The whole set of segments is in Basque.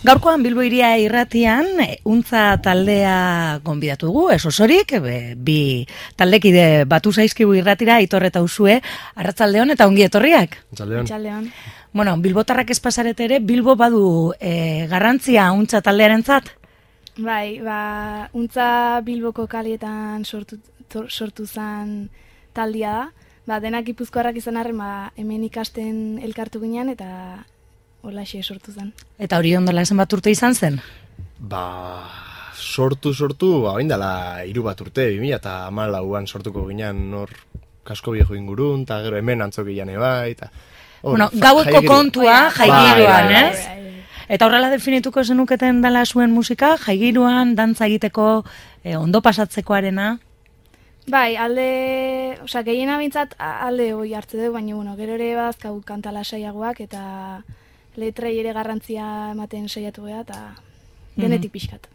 Gaurkoan Bilbo Hiria irratian untza taldea gonbidatu dugu, ez osorik, bi taldekide batu zaizkigu irratira, Aitor eta Usue, arratsaldeon eta ongi etorriak. Arratsaldeon. Bueno, bilbotarrak ez pasarete ere, Bilbo badu garrantzia untza taldearentzat? Bai, untza Bilboko kalietan sortu zen taldia da. Denak gipuzkoarrak izan arren, hemen ikasten elkartu ginen eta holaxe sortu zen. Eta hori ondala esan bat urte izan zen? Sortu, dela 3 bat urte, 2014an sortuko ginen nor kasko viejo ingurun, eta gero hemen antzokian bai, eta... Gaueko kontua jaigiruan, ez? Eta horrela definituko zenuketen dela zuen musika, jaigiruan, dantza egiteko, ondo pasatzekoarena? Bai, gehiena bintzat alde hori hartze dugu, baina gero ere bazkau kantala saiagoak eta letrei ere garrantzia ematen saiatu geha eta denetik pixkat.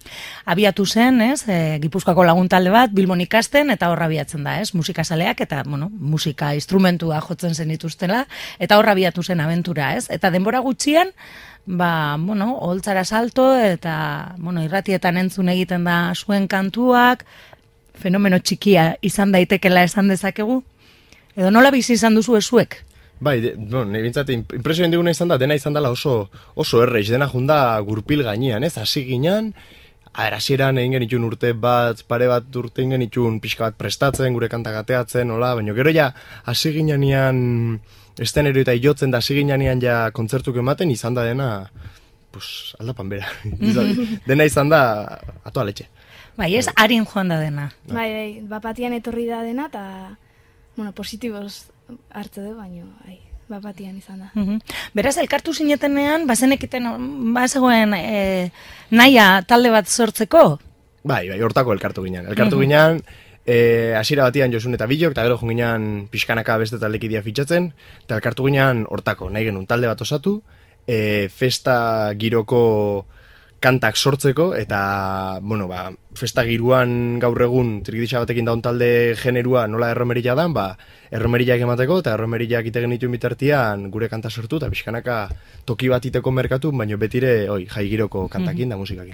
Abiatu zen, ez, Gipuzkoako laguntalde bat, Bilbon ikasten, eta horra abiatzen da, ez, musikazaleak, eta, musika instrumentua jotzen zen dituztela, eta horra abiatu zen abentura, ez, eta denbora gutxian, oholtzara salto, eta, irratietan entzun egiten da zuen kantuak, fenomeno txikia izan daitekela esan dezakegu, edo nola bizi izan duzu ezuek? Bai, bintzat, impresioen diguna izan da, dena izan dela oso erreiz, dena junda gurpil gainean, ez, hasi ginen, hasieran egin genitun urte bat, pare bat urte egin genitun pixka bat prestatzen, gure kantak ateatzen, baina gero ja, hasi ginean estenero eta jotzen da, hasi ginean ja kontzertuk ematen, izan da dena, aldapan bera, dena izan da, atoa letxe. Bai, ez, harin joan da dena. Bai, bapatian etorri da dena, eta, positiboz hartze du, baina, bapatian izan da. Beraz, elkartu zinetenean, bazenekiten, bazegoen nahia talde bat sortzeko? Bai, hortako elkartu ginen. Elkartu ginen, hasiera batian Josun eta Bilok, eta gero ginen pixkanaka beste taldekidia fitxatzen, eta elkartu ginen hortako, nahi genuen talde bat osatu, festa giroko kantak sortzeko, eta, festa giruan gaur egun trikidisa batekin daun talde generua nola erromerila dan, erromeriak emateko, eta erromeriak itegen dituen bitartian gure kanta sortu, eta pixkanaka toki bat iteko merkatu, baina betire jai giroko kantakin da musikakin.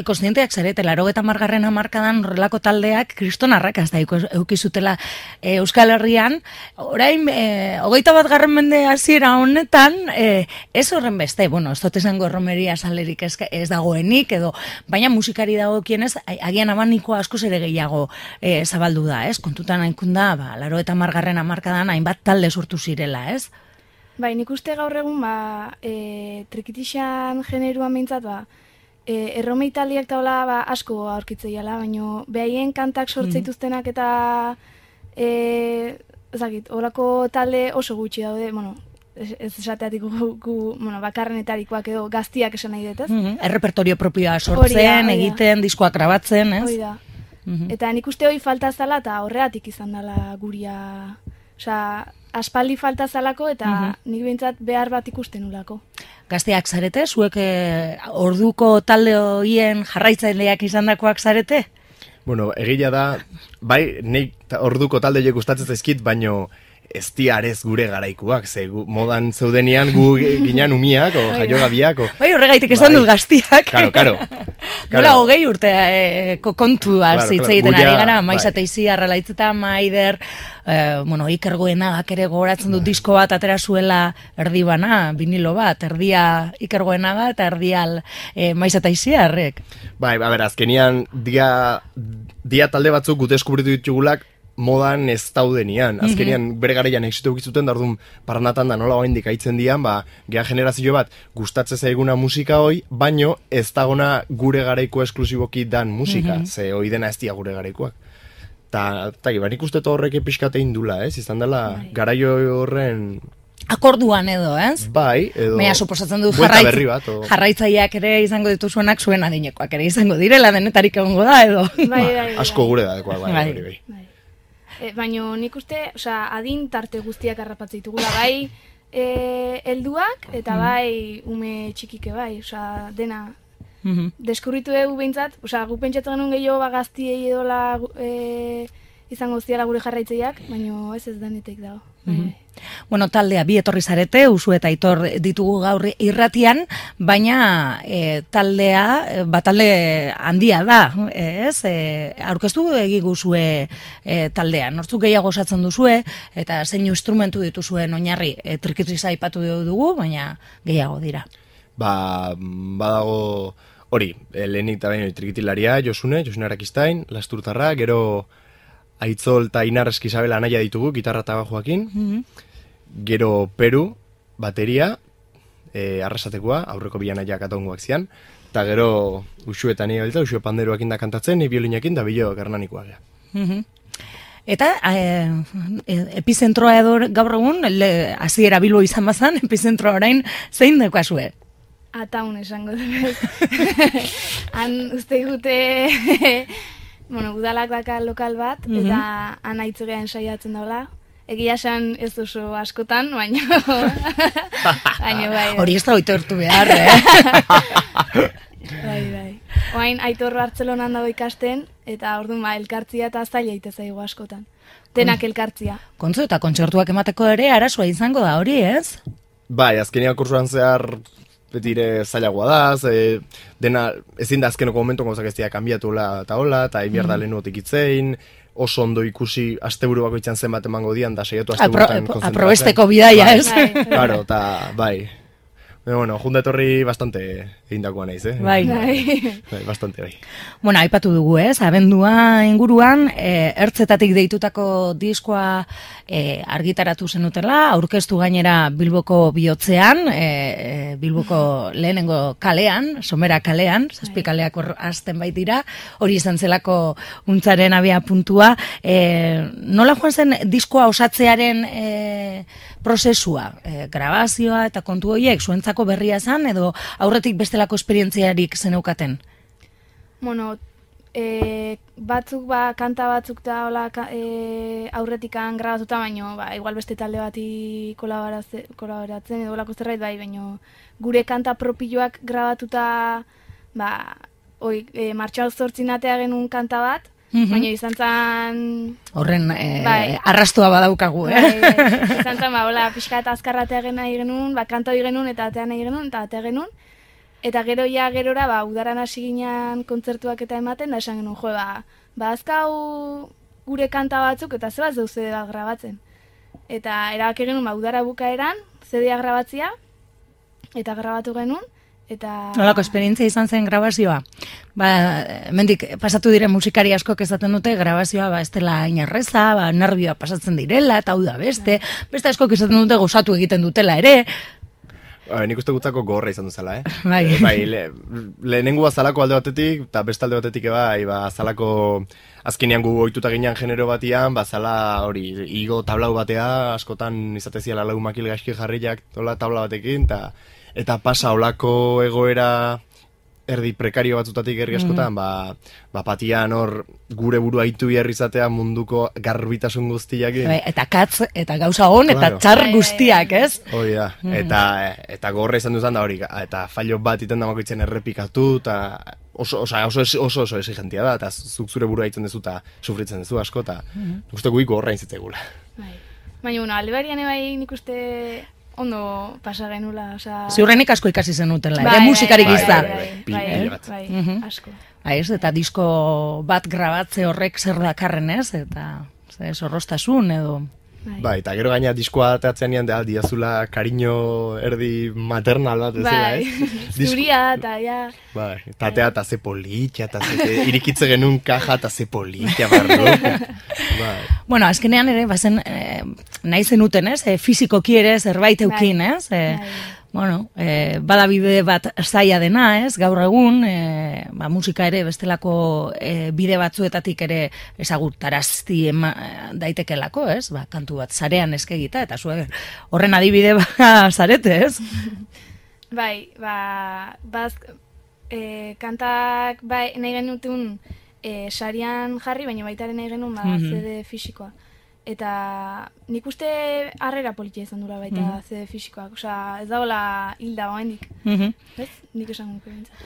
Kontzienteak zarete, 80. hamarkadan horrelako taldeak kristonarrak azta eukizutela Euskal Herrian, orain, 21. mende hasiera honetan, ez horren beste, ez dut esango erromeria salerik ez dagoenik, edo, baina musikari dagokienez, agian abaniko askoz ere gehiago zabaldu da, ez? Kontutan hainkunda, 80. hamarkadan hainbat talde sortu zirela, ez? Bai, nik uste gaur egun, trikitixan generuan behintzat, erromei taldiak eta hola asko aurkitzeiala, baina behaien kantak sortzeituztenak eta horako talde oso gutxi daude, ez esateatik bakarrenetarikoak edo gaztiak esan nahi dut, ez? Errepertorio propioa sortzen, egiten, diskoak grabatzen, ez? Hoi da. Eta nik uste hori falta zala eta horreatik izan dela guria, aspaldi falta zalako eta nik behintzat behar bat ikusten ulako. Gazteak zarete, zuek orduko talde horien jarraitzaileak izandakoak zarete? Egia da, bai, nik orduko talde horiek gustatzen zaizkit, baino ez diarez gure garaikuak, ze modan zeudenian gu ginen umiak, o jaiogabiak, o... Bai, horregaitik esan dut gaztiak. Karo. Nola, 20 urte kontua zitzeiten ari gara, Maiz eta Izi, Arralaitzeta, Maider, Iker Goenagak ere gogoratzen dut disko bat atera zuela erdi bana, vinilo bat, erdia Iker Goenaga eta erdia Maiz eta Izi harrek. Bai, azkenian dia talde batzuk gute eskubritu ditugulak, modan ez daudenian. Azkenean bere garaian exitu egizuten, da orduan paranatan da nola oaindik aitzen dian, geha generazio bat gustatzen zaiguna musika hoi, baino ez dagona gure garaiko esklusiboki dan musika, ze hoi dena ez dia gure garaikoak. Eta nik uste horrek epizkatein dula, ez? Izan dela garaio horren... Akorduan edo, ez? Bai, edo... Baina, suposatzen du jarraitzaileak ere izango dituzuenak zuen adinekoak ere izango direla, denetarik egongo da, edo... Asko gure da, bai. Baina nik uste, adin tarte guztiak harrapatzen ditugula, bai helduak eta bai ume txikike bai, dena deskurritu dugu behintzat, gu pentsatzen genuen gehiago gaztiei edola izango ziala gure jarraitzeiak, baina ez denetek dago. Bueno, taldea bi etorri zarete, Usu eta Aitor ditugu gaur irratian, baina taldea, talde handia da, ez? Aurkeztu egiguzue taldea, nortzuk gehiago osatzen duzue, eta zein instrumentu dituzuen oinarri, trikitriza aipatu dugu, baina gehiago dira. Badago hori, lehenik eta baino trikitilaria, Josune Arakistain, Lasturtarra, gero Aitzol eta Inar Eskizabela anaia ditugu, gitarra eta bajoakin, gero Peru, bateria, arrasatekoa, aurreko bian aia katongoak zian, eta gero Usu eta nire belta, Usu panderoakin da kantatzen, ni biolinakin da bilo gernanikoa gara. Eta epizentroa edo gaur egun, hasiera Bilbo izan bazan, epizentroa orain zein daukazue? Ataun esango dut. Han uste gute, udalak daka lokal bat, eta han aitzugean saiatzen daula. Egia esan ez oso askotan, baina bai. Hori ez da oitortu behar, Bai. Oain Aitor Bartzelonan dago ikasten, eta orduan elkartzia eta zaila itezaigu askotan. Denak elkartzia. Kontzu eta kontzertuak emateko ere arazoa izango da hori, ez? Bai, azkenean kursuan zehar betire zailagoa da, dena ezin da azkenoko momentu gauzak ez dira kanbiatu eta hola, eta inbierda lehenu otikitzein, oso ondo ikusi asteburu bakoitzan zenbat emango dian, da saiatu asteburutan konzentratzen. Aprobesteko bidaia, ez? Claro, eta bai. Bueno, junta etorri bastante egindakoa naiz, Bai, bastante bai. Bueno, aipatu dugu, ez? Abendua inguruan, ertzetatik deitutako diskoa argitaratu zenutela, aurkeztu gainera Bilboko bihotzean, Bilboko lehenengo kalean, Somera kalean, zazpi kaleak azten baitira, hori izan zelako untzaren abia puntua. Nola joan zen diskoa osatzearen prozesua, grabazioa eta kontu horiek, zuentzako berria zen, edo aurretik bestelako esperientziarik zeneukaten? Bueno, batzuk, kanta batzuk da hola aurretikan grabatuta, baino, igual beste talde bati kolaboratzen edo olako zerbait bai, baino gure kanta propioak grabatuta, martxal zortzinatea genuen kanta bat, baina izan zen... Horren arrastua badaukagu, Izan zen, pixka eta azkarratea nahi genuen, kanta hori genuen, eta atea nahi genuen, eta atea genuen. Eta gerora, udaran hasi ginen kontzertuak eta ematen, da esan genuen, azkau gure kanta batzuk, eta zebaz deu CD bat grabatzen. Eta erabak genuen, udara bukaeran, CD-a grabatzia, eta grabatu genuen, eta... Nolako esperientzia izan zen grabazioa? Hemendik pasatu diren musikari askok esaten dute grabazioa ez dela inerreza, nervioa pasatzen direla, eta hau da beste askok esaten dute gozatu egiten dutela ere. Nik uste gutako gorra izan duzela, Bai. Lehenengo azalako alde batetik, eta beste alde batetik azalako azkenean gu ohituta ginean genero batian, zala hori, igo tablau batea, askotan izateziala lau makil gaizki jarriak tabla batekin, eta pasa olako egoera erdi prekario batzutatik herri askotan, patian hor gure burua hitu behar izatea munduko garbitasun guztiak. Eta katz, eta gauza hon, eta txar guztiak, ez? Hori da, eta gorra izan duzan da hori, eta fallo bat iten damakoitzen errepikatu, eta oso exigentia da, eta zuk zure burua hitzen dezu, eta sufritzen dezu asko, eta uste guik gorra inzitzegula. Baina, alde barian nik uste... ondo pasa genula, oza... Ziurrenik asko ikasi zenutela, ere musikarik izan. Bai, asko. Eta disko bat grabatze horrek zer dakarren ez, eta zorrostasun edo... Bai, eta gero gaina diskoa ateatzen nian, diazula kariño erdi maternal bat, ez dela, ez? Zuria, eta ja... Bai, eta atea eta ze politia, eta irikitze genuen kaja, eta ze politia, barro. Bueno, azkenean ere, bazen, nahi zenuten, ez? Fizikoki ere zerbait eukin, ez? Bueno, badabide bat zaila dena, ez? Gaur egun, musika ere bestelako bide batzuetatik ere ezagutarazti daitekelako, ez? Kantu bat zarean eskegita, eta zuen horren adibide zarete, ez? Bai, kantak nahi genutun sarian jarri, baina baitaren nahi genuen CD fisikoa. eta nik uste harrera politia izan dura baita ze fisikoak, osea, ez dagoela hilda oaindik. Ez? Nik esan guke bintzat.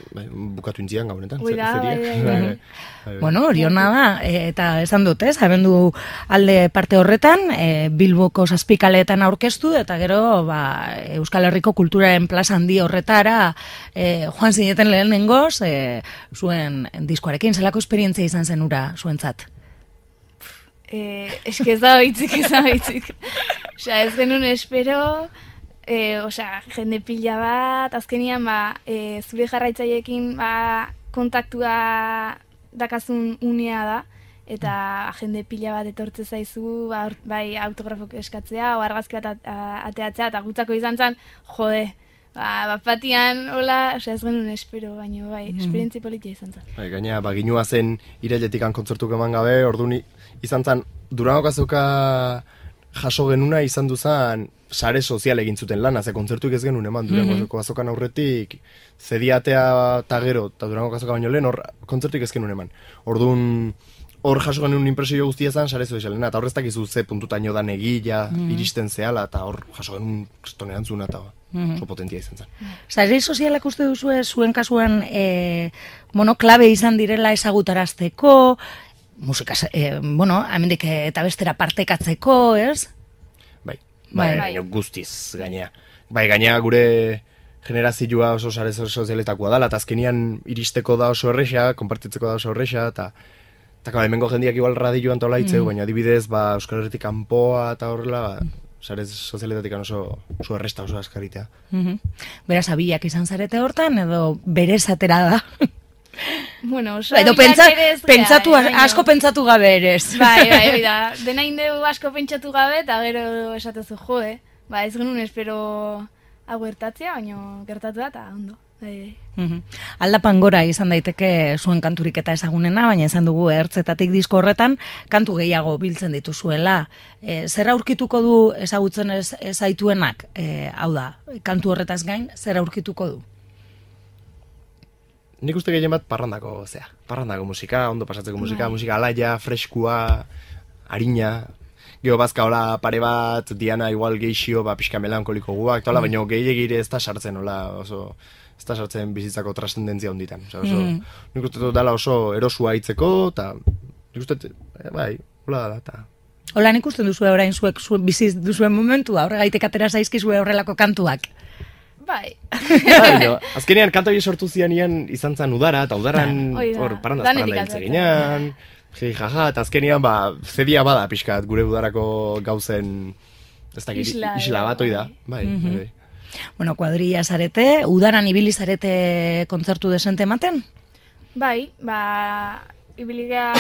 Bukatu intzian gaunetan. Bueno, hori hona da, eta esan dut, ez, abendu alde parte horretan, Bilboko zazpikaleetan aurkeztu, eta gero Euskal Herriko kulturaren plaza handi horretara joan zineten lehenengoz, zuen diskoarekin, zelako esperientzia izan zen ura zuentzat? Eske ez da bitzik. Osea, ez genuen espero, jende pila bat, azkenian, zure jarraitzaileekin, kontaktua dakazun unea da, eta jende pila bat etortze zaizu, bai autografok eskatzea, o argazki bat ateatzea, eta gutzako izan zen, jode, batian, hola, ez genuen espero, baina bai, esperientzi politia izan zen. Gaina, ginua zen irailetik kontzertuk eman gabe, orduan izan zen, Durangoko azoka jaso genuna izan duzan sare sozial egin zuten lana, ze kontzertuik ez genuen eman Durangoko azokan aurretik, zediatea eta gero, eta Durangoko azoka baino lehen, hor kontzertuik ez genuen eman. Orduan, hor jaso genuen impresio guztia zen sare sozialena, eta horreztak izu ze puntutaino da negila, iristen zehala, eta hor jaso genuen kristonean zuna, eta oso potentia izan zen. Sare sozialak uste duzu zuen kasuan, klabe izan direla ezagutarazteko, musika, hemendik eta bestera partekatzeko, ez? Bai, guztiz, gainea. Gainea gure generazioa oso sare sozialetakoa dela, eta azkenian iristeko da oso erresa, konpartitzeko da oso erresa, eta hemengo jendiak igual radioan tola hitzeu, baina adibidez, Euskal Herritik kanpoa eta horrela, sare sozialetatik oso erresta, oso askaritea. Beraz, abiak izan zarete hortan, edo berez atera da? Bueno, edo asko pentsatu gabe erez. Bai, da. Dena indeu asko pentsatu gabe, eta gero esatezu jode. Ez genuen espero hau gertatzea, baina gertatu da, eta ondo. Aldapan gora izan daiteke zuen kanturik eta ezagunena, baina esan dugu ertzetatik disko horretan kantu gehiago biltzen dituzuela. Zer aurkituko du ezagutzen zaituenak? Hau da, kantu horretaz gain, zer aurkituko du? Nik uste gehien bat parrandako musika, ondo pasatzeko musika alaia, freskua, harina, geho bazka hola pare bat, Diana igual geixio, pixka melankoliko guak, tola, baina gehiagire ez da sartzen, oso, ez da sartzen bizitzako trascendentzia honditan. Nik uste dut dela oso erosua hitzeko, eta nik uste, hola da, eta... Hola, nik uste duzu orain zuek biziz duzuen momentua, horregaitek atera zaizkizue horrelako kantuak. Bai. Azkenean kanta hori sortu zianian izan zen udara, eta udaran parranda hitz eginean, jaja, eta azkenean zedia bada pixkat gure udarako gauzen isla bat hoi da. Bueno, kuadrilla zarete, udaran ibili zarete kontzertu desente ematen? Bai, ibiliga,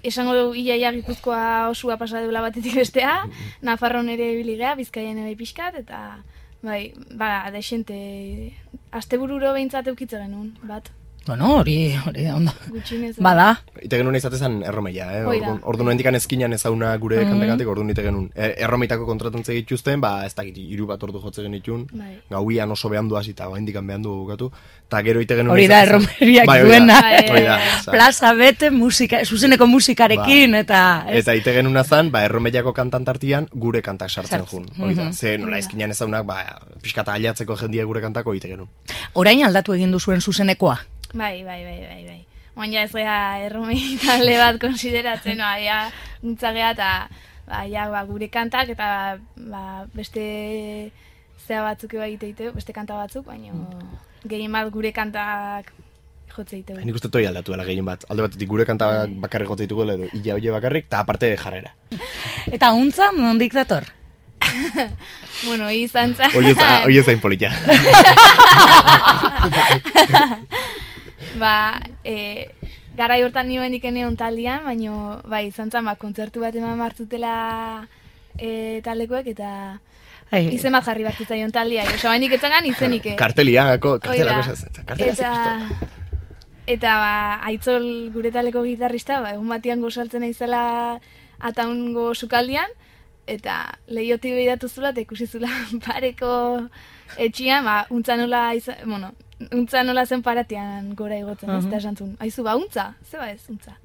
esango du iaia Gipuzkoa osua pasa deula batetik bestea, Nafarroan ere ibiliga, Bizkaian ere pixkat, eta... desente, astebururo behintzat eukitze genuen, bat. Bueno, hori ondo. Gutxinez. Bada. Ite genuen izatezan erromeia, Ordu noendikan ezkinan ezauna gure kantegatik, ordu nite genuen. Erromeitako kontratuntze gituzten, ez dakit, 3 bat ordu jotze genitun, gauian oso behandu hasita, indikan behandu bukatu, eta gero ite genuen... Hori da, erromeriak duena. Plaza bete, zuzeneko musikarekin, eta... Eta ite genuen azan, erromeiako kantantartian gure kantak sartzen jun. Ze nola ezkinan ezaunak, pixkata aliatzeko jendia gure kantako ite genuen. Orain aldatu egin duzuen zuzenekoa? Bai. Baina ez gara erromei talde bat konsideratzen, nintzagea eta gure kantak eta beste zea batzuk egiteite, beste kanta batzuk, baina gehien bat gure kantak jotze egiteko. Nik uste toi aldatu dela gehien bat. Alde batetik gure kantak bakarrik jotze egiteko, edo ia oie bakarrik, eta aparte jarrera. Eta untza, nondik dator? Bueno, izan zan... Oie zain polita. Garai hortan nioen ikeneon taldean, baina izan zan, kontzertu bat eman martzutela taldekoek, eta izen bat jarri bat zitzaion taldea. Osa, bainik etzagan izenik. Kartelako Eta Aitzol gure taleko gitarrista, egun batian gozaltzen aizela ataungo sukaldian, eta lehiotik behiratu zula, eta ikusi zula pareko etxian, untza nola zen paratian gora igotzen, ez da esantzun. Aizu, untza? Zeba ez, untza.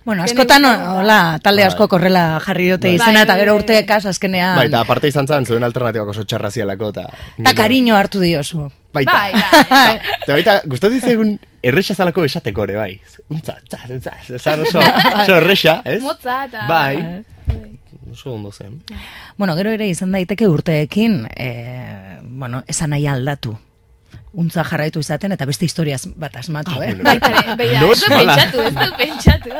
Bueno, askotan, hola, talde asko korrela jarri dute izena, eta gero urteekaz azkenean. Bai, eta aparte izan zan, zuen alternatibak oso txarra zialako, eta kariño hartu diozu. Baita. Eta baita, gustatu dizegun erresa zalako esateko ere, bai. Zan oso erresa, ez? Motza eta... Bai. Oso ondo zen. Bueno, gero ere izan daiteke urteekin, esan nahi aldatu. Untza jarraitu izaten, eta beste historiaz bat asmatu, Beira, ez du pentsatu.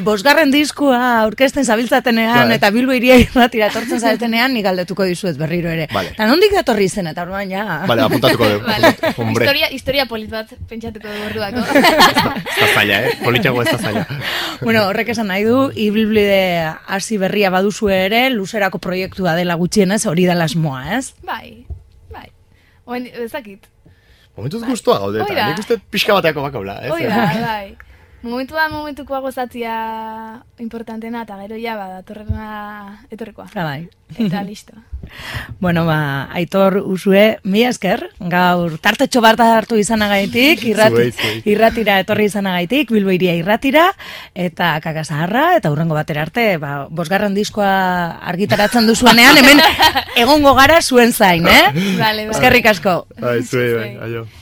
Bosgarren diskua aurkezten zabiltzatenean, eta Bilbo Hiria Irratira etortzen zabiltzatenean, nik galdetuko dizuet berriro ere. Eta nondik datorri zen, eta orduan ja... Bale, apuntatuko dugu. Historia polit bat pentsatuko dugu orduako. Ez da zaila, politxago ez da zaila. Bueno, horrek esan nahi du, ibilbide hasi berria baduzu ere, luzerako proiektua dela gutxienez, hori dela asmoa, ez? Bai. Oen, ezakit. Momentuz guztua gaude, eta nik uste pixka bateako bakaula. Oida, bai. Momentukoa gozatzia importantena, eta gero ja, datorrena etorrekoa. Bai. Eta listo. Bueno, Aitor Usue, mila esker, gaur tartetxo bat hartu izanagaitik, irratira etorri izanagaitik, Bilbo Hiria Irratira, eta Kakazaharra, eta hurrengo batera arte, bosgarren diskoa argitaratzen duzuenean, hemen egongo gara zuen zain, Vale. Eskerrik asko. Bai, zuei, aio.